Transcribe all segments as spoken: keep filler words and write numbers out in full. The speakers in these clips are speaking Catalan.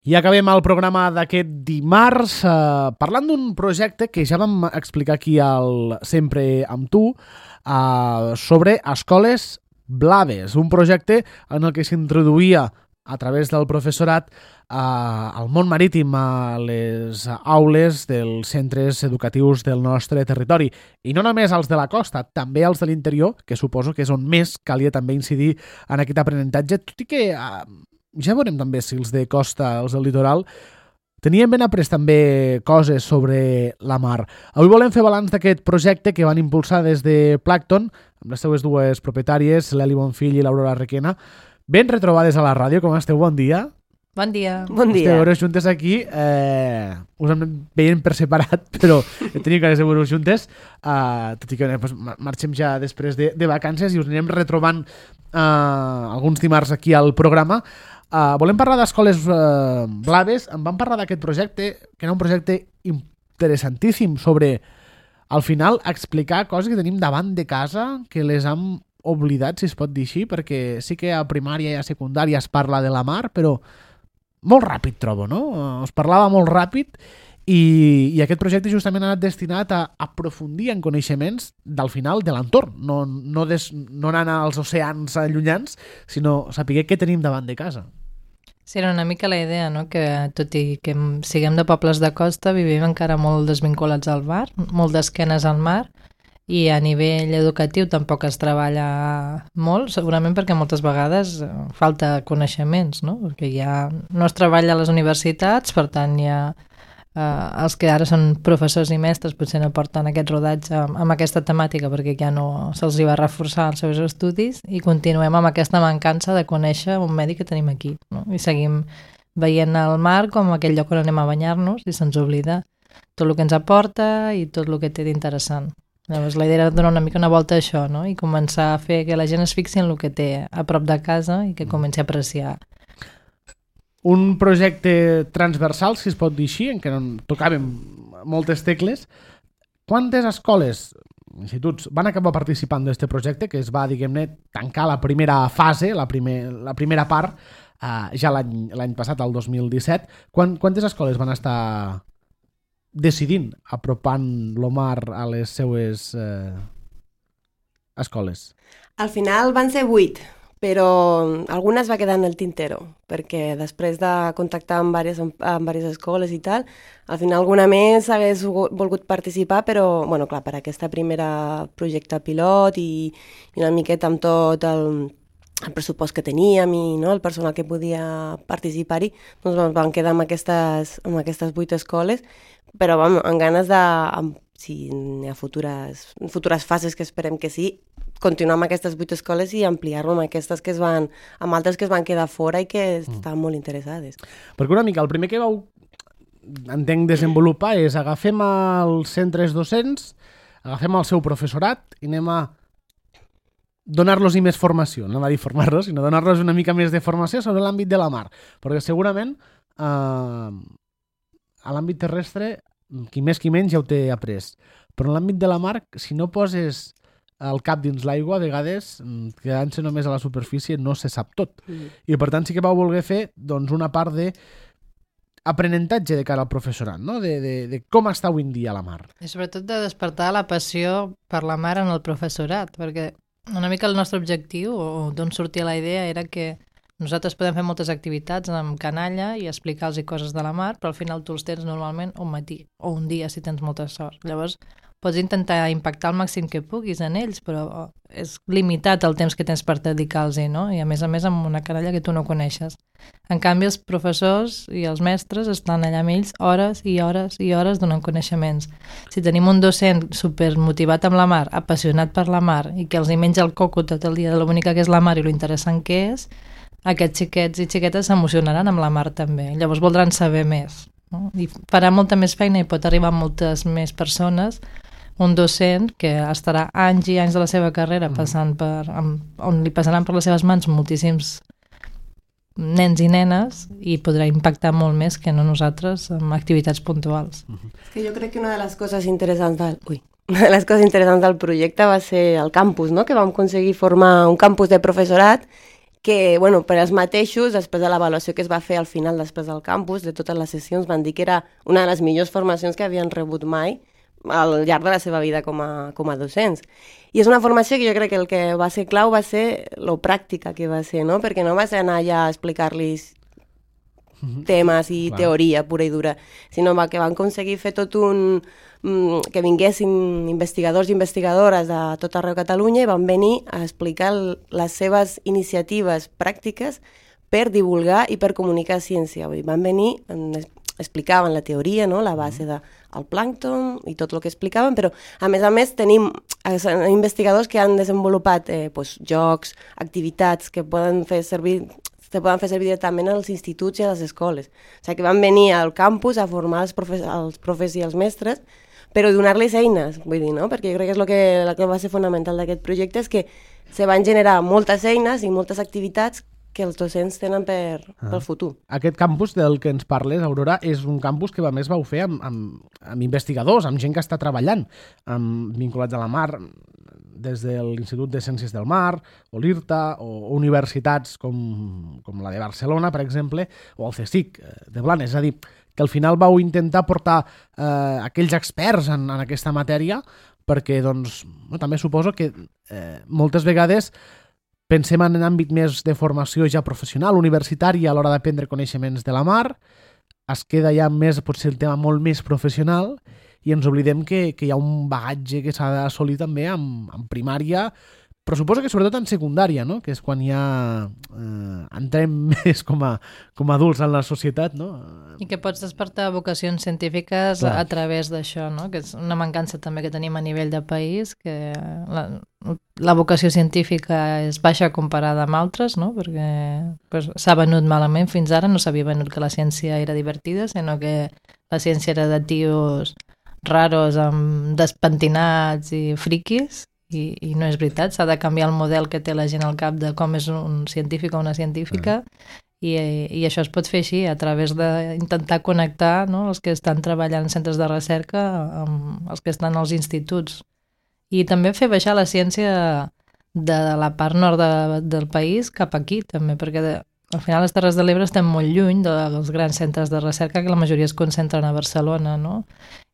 I acabem el programa d'aquest dimarts eh, parlant d'un projecte que ja vam explicar aquí al Sempre amb tu, eh, sobre escoles blaves, un projecte en el que s'introduïa a través del professorat eh, al món marítim, a les aules dels centres educatius del nostre territori. I no només als de la costa, també als de l'interior, que suposo que és on més calia també incidir en aquest aprenentatge, tot i que... Eh, ja veurem també si els de costa, els del litoral, tenien ben après també coses sobre la mar. Avui volem fer balanç d'aquest projecte que van impulsar des de Plankton, amb les seues dues propietàries, l'Eli Bonfill i l'Aurora Requena. Ben retrobades a la ràdio, com esteu? Bon dia. Bon dia. Bon dia. Esteu veure juntes aquí, eh, us hem veient per separat, però tenim ganes de veure juntes, eh, tot i que pues, marxem ja després de, de vacances i us anirem retrobant eh, alguns dimarts aquí al programa. Uh, volem parlar d'escoles uh, blaves. Em van parlar d'aquest projecte, que era un projecte interessantíssim, sobre, al final, explicar coses que tenim davant de casa, que les hem oblidat, si es pot dir així, perquè sí que a primària i a secundària es parla de la mar, però molt ràpid, trobo, no? Uh, es parlava molt ràpid i, i aquest projecte justament ha anat destinat a aprofundir en coneixements del final de l'entorn, no, no, des, no anar als oceans allunyans, sinó saber què tenim davant de casa. Sí, era una mica la idea, no? Que tot i que siguem de pobles de costa, vivim encara molt desvinculats al mar, molt d'esquenes al mar, i a nivell educatiu tampoc es treballa molt, segurament perquè moltes vegades falta coneixements, no? Perquè ja no es treballa a les universitats, per tant ja eh, els que ara són professors i mestres potser no porten aquest rodatge amb, amb aquesta temàtica perquè ja no se'ls hi va reforçar els seus estudis i continuem amb aquesta mancança de conèixer un medi que tenim aquí, no? I seguim veient el mar com aquell lloc on anem a banyar-nos i se'ns oblida tot el que ens aporta i tot el que té d'interessant. Llavors la idea era donar una mica una volta a això, no? I començar a fer que la gent es fixi en el que té a prop de casa i que comenci a apreciar. Un projecte transversal, si es pot dir així, en què no tocàvem moltes tecles. Quantes escoles, instituts, van acabar participant d'aquest projecte, que es va, diguem-ne, tancar la primera fase, la, primer, la primera part, eh, ja l'any passat, el dos mil disset. Quant, quantes escoles van estar decidint apropant lo mar a les seues eh, escoles? Al final van ser vuit, però alguna es va quedar en el tintero, perquè després de contactar amb diverses, amb diverses escoles i tal, al final alguna més hagués volgut participar, però, bueno, clar, per aquesta primera projecte pilot i, i una miqueta amb tot el, el pressupost que teníem i no, el personal que podia participar-hi, doncs ens vam quedar amb aquestes, amb aquestes vuit escoles, però vam, amb ganes de, amb, si hi ha futures, futures fases que esperem que sí, continuar amb aquestes vuit escoles i ampliar-lo amb aquestes que es van, amb altres que es van quedar fora i que mm. estaven molt interessades. Perquè una mica, el primer que vau, entenc, desenvolupar és agafem els centres docents, agafem el seu professorat i anem a donar-los més formació, no va dir formar-los, sinó donar-los una mica més de formació sobre l'àmbit de la mar, perquè segurament eh, a l'àmbit terrestre, qui més qui menys ja ho té après, però en l'àmbit de la mar, si no poses el cap dins l'aigua, a vegades, quedant-se només a la superfície, no se sap tot. Mm. I per tant sí que vau voler fer doncs, una part de aprenentatge de cara al professorat, no? de, de, de com està avui en dia la mar. I sobretot de despertar la passió per la mar en el professorat, perquè una mica el nostre objectiu, o d'on sortia la idea, era que nosaltres podem fer moltes activitats amb canalla i explicar-los coses de la mar, però al final tu els tens normalment un matí o un dia si tens molta sort. Llavors pots intentar impactar el màxim que puguis en ells, però és limitat el temps que tens per dedicar-los, no? I a més a més amb una canalla que tu no coneixes. En canvi els professors i els mestres estan allà amb ells hores i hores i hores donant coneixements. Si tenim un docent supermotivat amb la mar, apassionat per la mar i que els hi menja el coco tot el dia de l'única que és la mar i lo interessant que és, aquests xiquets i xiquetes s'emocionaran amb la mar també, llavors voldran saber més, no? I farà molta més feina i pot arribar a moltes més persones un docent que estarà anys i anys de la seva carrera passant per, amb, on li passaran per les seves mans moltíssims nens i nenes i podrà impactar molt més que no nosaltres amb activitats puntuals. És que jo crec que una de les coses interessants del... Ui. Una de les coses interessants del projecte va ser el campus, no? Que vam aconseguir formar un campus de professorat que, bueno, per als mateixos, després de l'avaluació que es va fer al final, després del campus, de totes les sessions, van dir que era una de les millors formacions que havien rebut mai al llarg de la seva vida com a, com a docents. I és una formació que jo crec que el que va ser clau va ser lo pràctica que va ser, no? Perquè no va ser anar allà a explicar-los temes i Clar. teoria pura i dura, sinó que van aconseguir fer tot un... que vinguessin investigadors i investigadores de tot arreu de Catalunya i van venir a explicar les seves iniciatives pràctiques per divulgar i per comunicar ciència. Vull dir, van venir, explicaven la teoria, no? La base del plàncton i tot el que explicaven, però a més a més tenim investigadors que han desenvolupat eh, pues, jocs, activitats que poden fer servir se poden fer servir directament als instituts i a les escoles. O sigui, que van venir al campus a formar els profes, els profes i els mestres, però donar-les eines, vull dir, no? Perquè jo crec que és el que, el que va ser fonamental d'aquest projecte, és que se van generar moltes eines i moltes activitats que els docents tenen per, ah. pel futur. Aquest campus del que ens parles, Aurora, és un campus que a més vau fer amb, amb, amb investigadors, amb gent que està treballant, amb, vinculats a la mar, des de l'Institut de Ciències del Mar, o l'IRTA, o universitats com, com la de Barcelona, per exemple, o el CSIC de Blanes. És a dir, que al final vau intentar portar eh, aquells experts en, en aquesta matèria, perquè doncs, no, també suposo que eh, moltes vegades pensem en un àmbit més de formació ja professional, universitària, a l'hora d'aprendre coneixements de la mar, es queda ja més, potser el tema molt més professional, i ens oblidem que, que hi ha un bagatge que s'ha d'assolir també en, en primària, però suposo que sobretot en secundària, no? Que és quan ja eh, entrem més com a, com a adults en la societat, no? I que pots despertar vocacions científiques Clar. A través d'això, no? Que és una mancança també que tenim a nivell de país, que la, la vocació científica és baixa comparada amb altres, no? Perquè pues, s'ha venut malament fins ara, no s'havia venut que la ciència era divertida, sinó que la ciència era de tios raros, amb despentinats i friquis, i, i no és veritat, s'ha de canviar el model que té la gent al cap de com és un científic o una científica, mm. i, i això es pot fer així, a través d'intentar connectar, no, els que estan treballant en centres de recerca amb els que estan als instituts. I també fer baixar la ciència de la part nord de, del país cap aquí, també, perquè de, al final les Terres de l'Ebre estem molt lluny dels grans centres de recerca, que la majoria es concentren a Barcelona, no?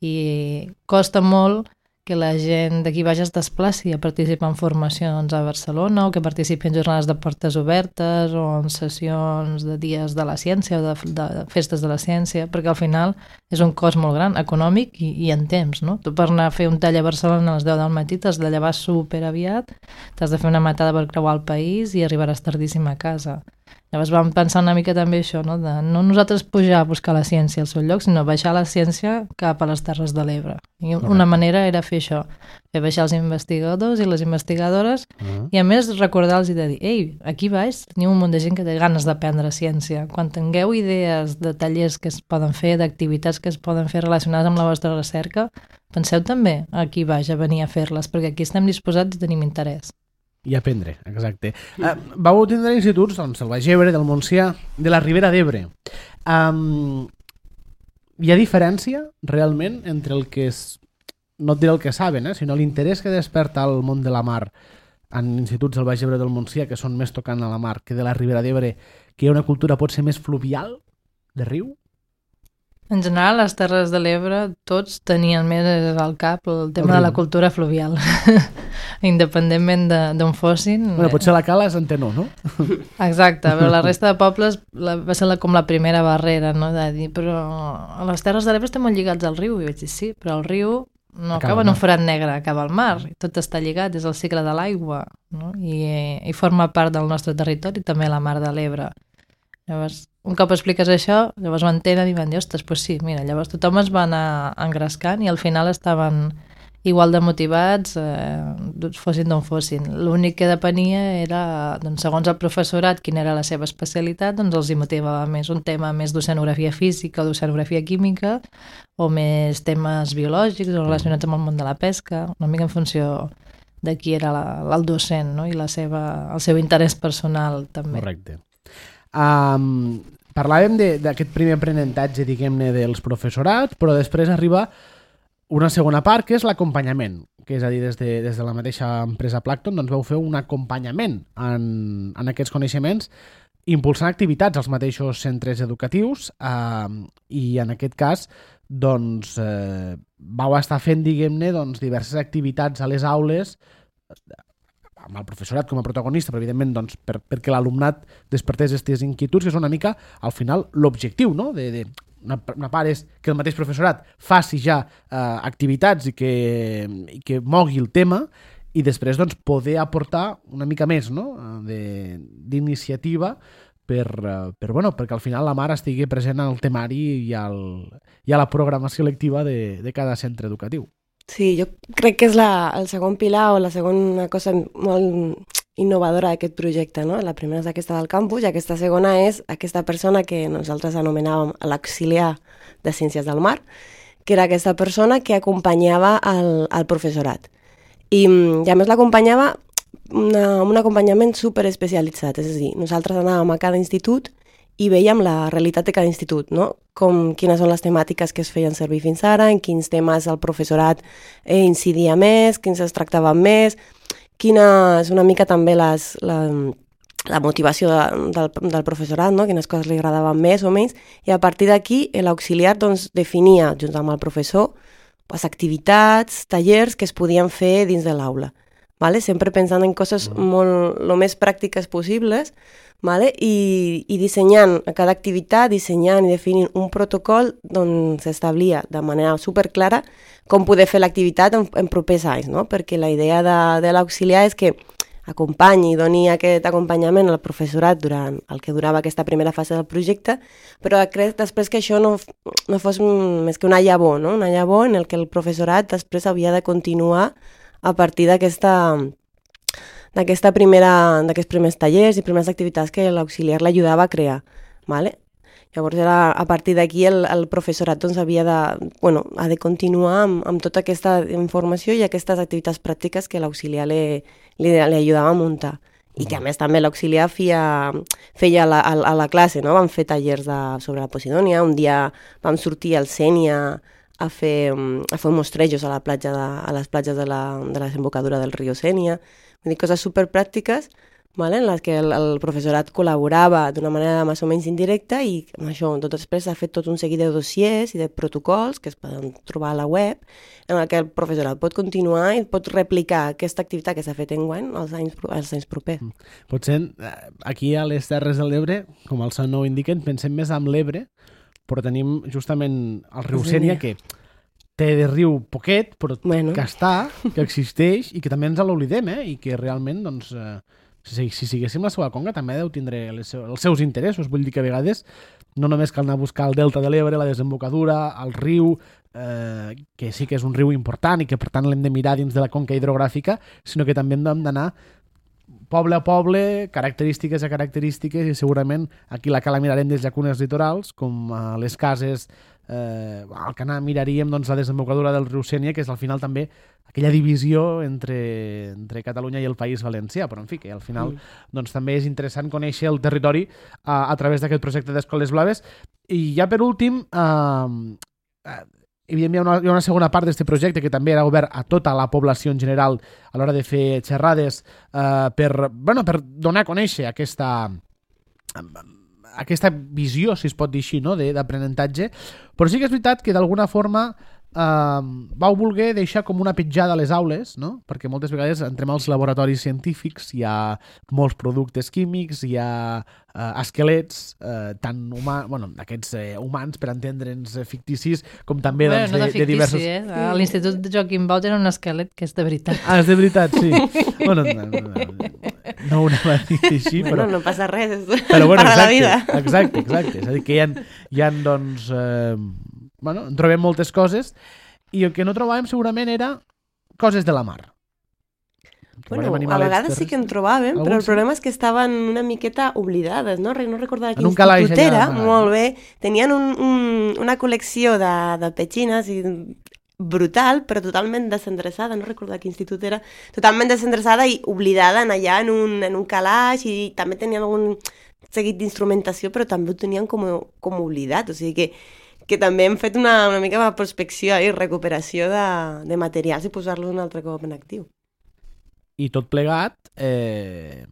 I costa molt que la gent d'aquí baix es desplaci a participar en formacions a Barcelona o que participi en jornades de portes obertes o en sessions de dies de la ciència o de, de festes de la ciència, perquè al final és un cost molt gran, econòmic i, i en temps, no? Tu per anar a fer un tall a Barcelona a les deu del matí t'has de llevar super aviat, t'has de fer una matada per creuar el país i arribaràs tardíssim a casa. Llavors vam pensar una mica també això, no? De no nosaltres pujar a buscar la ciència al seu lloc, sinó baixar la ciència cap a les Terres de l'Ebre. I una manera era fer això, fer baixar els investigadors i les investigadores, uh-huh. i a més recordar-los i de dir, ei, aquí baix teniu un munt de gent que té ganes d'aprendre ciència. Quan tingueu idees de tallers que es poden fer, d'activitats que es poden fer relacionades amb la vostra recerca, penseu també aquí baix a venir a fer-les, perquè aquí estem disposats i tenim interès. I aprendre, exacte. Uh, vau tindre instituts, doncs, del Baix Ebre, del Montsià, de la Ribera d'Ebre. Um, hi ha diferència, realment, entre el que és, no et diré el que saben, eh, sinó l'interès que desperta el món de la mar en instituts del Baix Ebre del Montsià, que són més tocant a la mar, que de la Ribera d'Ebre, que hi ha una cultura potser més fluvial, de riu? En general, les Terres de l'Ebre tots tenien més al cap el tema el de la cultura fluvial, independentment d'on fossin. Bueno, potser la Cala és Antenor, no? Exacte, però la resta de pobles la, va ser la, com la primera barrera, no? De dir, però a les Terres de l'Ebre estem molt lligats al riu, i vaig dir, sí, però el riu no acaba, acaba en un forat negre, acaba al mar, tot està lligat, és el cicle de l'aigua, no? I, i forma part del nostre territori, també la mar de l'Ebre. Llavors, un cop expliques això, llavors ho entenen i van dir, ostres, doncs sí, mira, llavors tothom es va anar engrescant i al final estaven igual de motivats, eh, fossin d'on fossin. L'únic que depenia era, doncs, segons el professorat, quina era la seva especialitat, doncs els hi motivava més un tema més d'oceanografia física o d'oceanografia química o més temes biològics o relacionats amb el món de la pesca, una mica en funció de qui era la, el docent, no? I la seva, el seu interès personal també. Correcte. Um, parlàvem d'aquest primer aprenentatge, diguem-ne, dels professorats, però després arriba una segona part, que és l'acompanyament, que és a dir, des de, des de la mateixa empresa Plankton, doncs vau fer un acompanyament en, en aquests coneixements, impulsant activitats als mateixos centres educatius eh, i en aquest cas doncs, eh, vau estar fent, diguem-ne, doncs, diverses activitats a les aules amb el professorat com a protagonista, però evidentment doncs, per, perquè l'alumnat despertés aquestes inquietuds, que és una mica, al final, l'objectiu, no? De, de, una, una part és que el mateix professorat faci ja eh, activitats i que, i que mogui el tema, i després doncs, poder aportar una mica més, no? D'iniciativa per, per, bueno, perquè al final la mare estigui present al temari i, al, i a la programació lectiva de, de cada centre educatiu. Sí, jo crec que és la, el segon pilar o la segona cosa molt innovadora d'aquest projecte, no? La primera és aquesta del campus i aquesta segona és aquesta persona que nosaltres anomenàvem l'auxiliar de Ciències del Mar, que era aquesta persona que acompanyava el, el professorat. I, i a més l'acompanyava una, un acompanyament super especialitzat, és a dir, nosaltres anàvem a cada institut i veiem la realitat de cada institut, no? Com, quines són les temàtiques que es feien servir fins ara, en quins temes el professorat eh, incidia més, quins es tractaven més, quina és una mica també les, la, la motivació de, del, del professorat, no? Quines coses li agradaven més o menys, i a partir d'aquí l'auxiliar doncs, definia, junt amb el professor, les activitats, tallers que es podien fer dins de l'aula, ¿vale? Sempre pensant en coses molt, lo més pràctiques possibles, ¿vale? I, i dissenyant a cada activitat, dissenyant i definint un protocol on s'establia de manera superclara com poder fer l'activitat en, en propers anys, no? Perquè la idea de, de l'auxiliar és que acompanyi i doni aquest acompanyament al professorat durant el que durava aquesta primera fase del projecte, però després que això no, no fos més que una llavor, no? Una llavor en el que el professorat després havia de continuar a partir d'aquesta d'aquesta primera, d'aquests primers tallers i primeres activitats que l'auxiliar l'ajudava a crear, ¿vale? Llavors era, a partir d'aquí el, el professorat doncs, havia de, bueno, ha de continuar amb, amb tota aquesta informació i aquestes activitats pràctiques que l'auxiliar li, li, li ajudava a muntar. I que a més també l'auxiliar feia, feia a, la, a la classe, no? Vam fer tallers de, sobre la Posidònia, un dia vam sortir al Sénia a fer, a fer mostrejos a, la platja de, a les platges de la, de la desembocadura del riu Sénia. Vull dir, coses superpràctiques, ¿vale? En les que el, el professorat col·laborava d'una manera més o menys indirecta i amb això tot després s'ha fet tot un seguit de dossiers i de protocols que es poden trobar a la web en el que el professorat pot continuar i pot replicar aquesta activitat que s'ha fet enguany als anys, als anys propers. Potser aquí a les Terres de l'Ebre, com el seu nom indiquen, pensem més en l'Ebre, però tenim justament el riu Sénia que té de riu poquet, però bueno. Que està, que existeix i que també ens l'oblidem, eh? I que realment, doncs, eh, si, si siguéssim la seva conca també deu tindre les seu, els seus interessos. Vull dir que a vegades no només cal anar a buscar el delta de l'Ebre, la desembocadura, el riu, eh, que sí que és un riu important i que per tant l'hem de mirar dins de la conca hidrogràfica, sinó que també hem d'anar poble a poble, característiques a característiques, i segurament aquí la cala mirarem des llacunes litorals, com a les cases, eh, al Canà miraríem doncs, la desembocadura del riu Sénia, que és al final també aquella divisió entre, entre Catalunya i el País Valencià, però en fi, que al final mm. doncs, també és interessant conèixer el territori a, a través d'aquest projecte d'Escoles Blaves. I ja per últim, eh, eh, evidentment hi ha una, hi ha una segona part d'aquest projecte que també era obert a tota la població en general a l'hora de fer xerrades eh, per, bueno, per donar a conèixer aquesta, aquesta visió, si es pot dir així, no? d'aprenentatge, però sí que és veritat que d'alguna forma Uh, vau voler deixar com una petjada a les aules, no? Perquè moltes vegades entrem als laboratoris científics, hi ha molts productes químics, hi ha uh, esquelets, uh, tant humà, bueno, aquests uh, humans, per entendre'ns, uh, ficticis, com també bueno, doncs, no de, de, de diversos... Eh? A l'Institut de Joaquim Bau tenen un esquelet que és de veritat. Ah, és de veritat, sí. bueno, no, no, no, no ho anava a dir així, però... Bueno, no passa res, és però, bueno, part exacte, de la vida. Exacte, exacte. És a dir, que hi ha, hi ha doncs... Eh, bueno, en trobem moltes coses i el que no trobàvem segurament era coses de la mar. Bueno, a vegades sí que en trobàvem, Algun però el sí? problema és que estaven una miqueta oblidades, no? No recordava quin En un calaix institut era, allà, molt bé. Tenien un, un, una col·lecció de, de petxines i brutal, però totalment desendreçada, no recordo quin institut era, totalment desendreçada i oblidada en allà en un, en un calaix, i també tenien algun seguit d'instrumentació, però també ho tenien com, com oblidat, o sigui que que també hem fet una, una mica de prospecció i recuperació de, de materials i posar-los un altre cop en actiu. I tot plegat eh,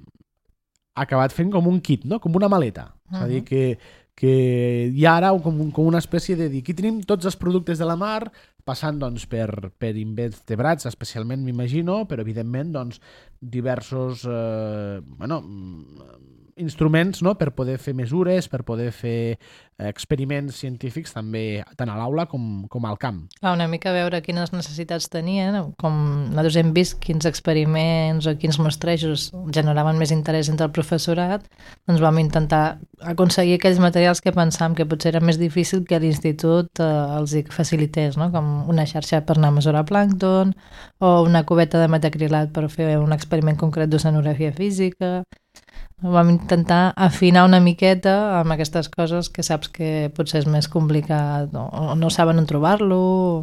ha acabat fent com un kit, no? Com una maleta. Uh -huh. És a dir, que, que hi ha ara com, com una espècie de dir, aquí tenim tots els productes de la mar, passant doncs, per, per invertebrats, especialment m'imagino, però evidentment doncs, diversos eh, bueno, instruments, no?, per poder fer mesures, per poder fer experiments científics també tant a l'aula com, com al camp. Clar, una mica veure quines necessitats tenien, com nosaltres hem vist quins experiments o quins mostrejos generaven més interès entre el professorat, doncs vam intentar aconseguir aquells materials que pensàvem que potser era més difícil que l'institut eh, els hi facilités, no? Com una xarxa per anar a mesurar plàncton o una cubeta de metacrilat per fer un experiment concret d'oceanografia física. Vam intentar afinar una miqueta amb aquestes coses que saps que potser és més complicat o, o no saben on trobar-lo,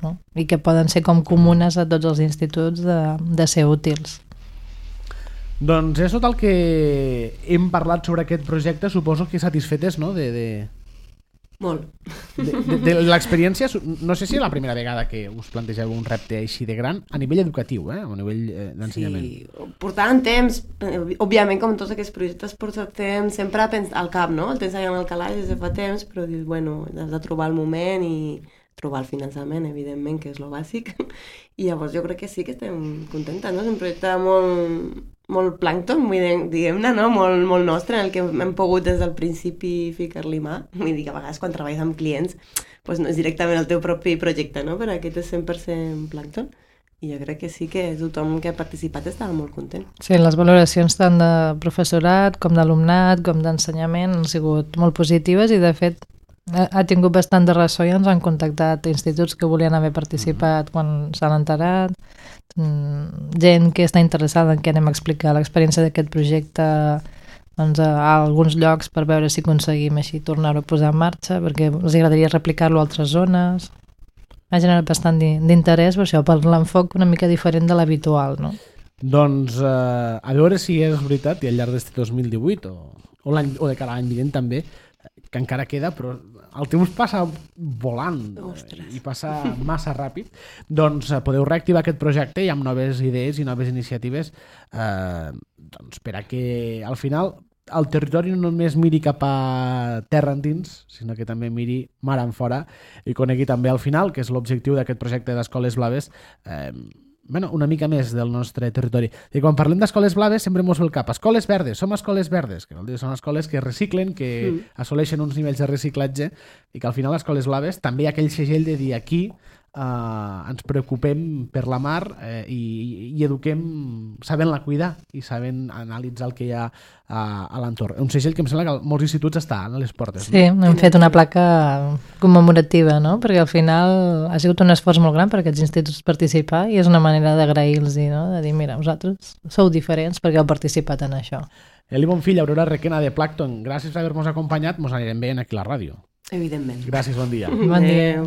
no? I que poden ser com comunes a tots els instituts de, de ser útils. Doncs és tot el que hem parlat sobre aquest projecte. Suposo que satisfetes, no?, de... de... Molt. De, de, de l'experiència, no sé si és la primera vegada que us plantegeu un repte així de gran a nivell educatiu, eh? A nivell eh, d'ensenyament. Sí, portàvem temps, òbviament com tots aquests projectes portem sempre al cap, no? El tens allà en el calaix des de fa temps, però dius, bueno, has de trobar el moment i trobar el finançament, evidentment, que és lo bàsic. I llavors jo crec que sí que estem contentes, no? És un projecte molt, molt plàncton, diguem-ne, no? Molt, molt nostre, en el que hem pogut des del principi ficar-li mà. Vull dir que a vegades quan treballes amb clients doncs no és directament el teu propi projecte, no? Però aquest és cent per cent plàncton. I jo crec que sí que tothom que ha participat estava molt content. Sí, les valoracions tant de professorat com d'alumnat com d'ensenyament han sigut molt positives i de fet ha tingut bastant de ressò i ens han contactat instituts que volien haver participat quan s'han enterat, gent que està interessada en què anem a explicar l'experiència d'aquest projecte doncs, a alguns llocs per veure si aconseguim així tornar-ho a posar en marxa, perquè els agradaria replicar-lo a altres zones. Ha generat bastant d'interès per això, per l'enfoc una mica diferent de l'habitual, no? Doncs eh, a veure si és veritat i al llarg d'este dos mil divuit o, o, o de cada any vinent també, que encara queda, però el temps passa volant. Ostres. I passa massa ràpid. Doncs eh, podeu reactivar aquest projecte i amb noves idees i noves iniciatives eh, doncs per a que al final el territori no només miri cap a terra endins, sinó que també miri mar en fora i conegui també al final, que és l'objectiu d'aquest projecte d'Escoles Blaves, eh, bueno, una mica més del nostre territori. I quan parlem d'escoles blaves sempre mos ve el cap. Escoles verdes, som escoles verdes, que vol dir són escoles que reciclen, que mm. assoleixen uns nivells de reciclatge i que al final escoles blaves també hi ha aquell segell de dir aquí Uh, ens preocupem per la mar eh, i, i eduquem sabent-la cuidar i sabent analitzar el que hi ha uh, a l'entorn. Un segell que em sembla que molts instituts està a les portes. Sí, no? Hem fet una placa commemorativa, no? Perquè al final ha sigut un esforç molt gran per aquests instituts participar i és una manera d'agrair-los, no? De dir, mira, vosaltres sou diferents perquè heu participat en això. Eli Bonfill, Aurora Requena de Plàncton, gràcies per haver-nos acompanyat, mos anirem veient aquí a la ràdio. Evidentment. Gràcies, bon dia. Bon dia.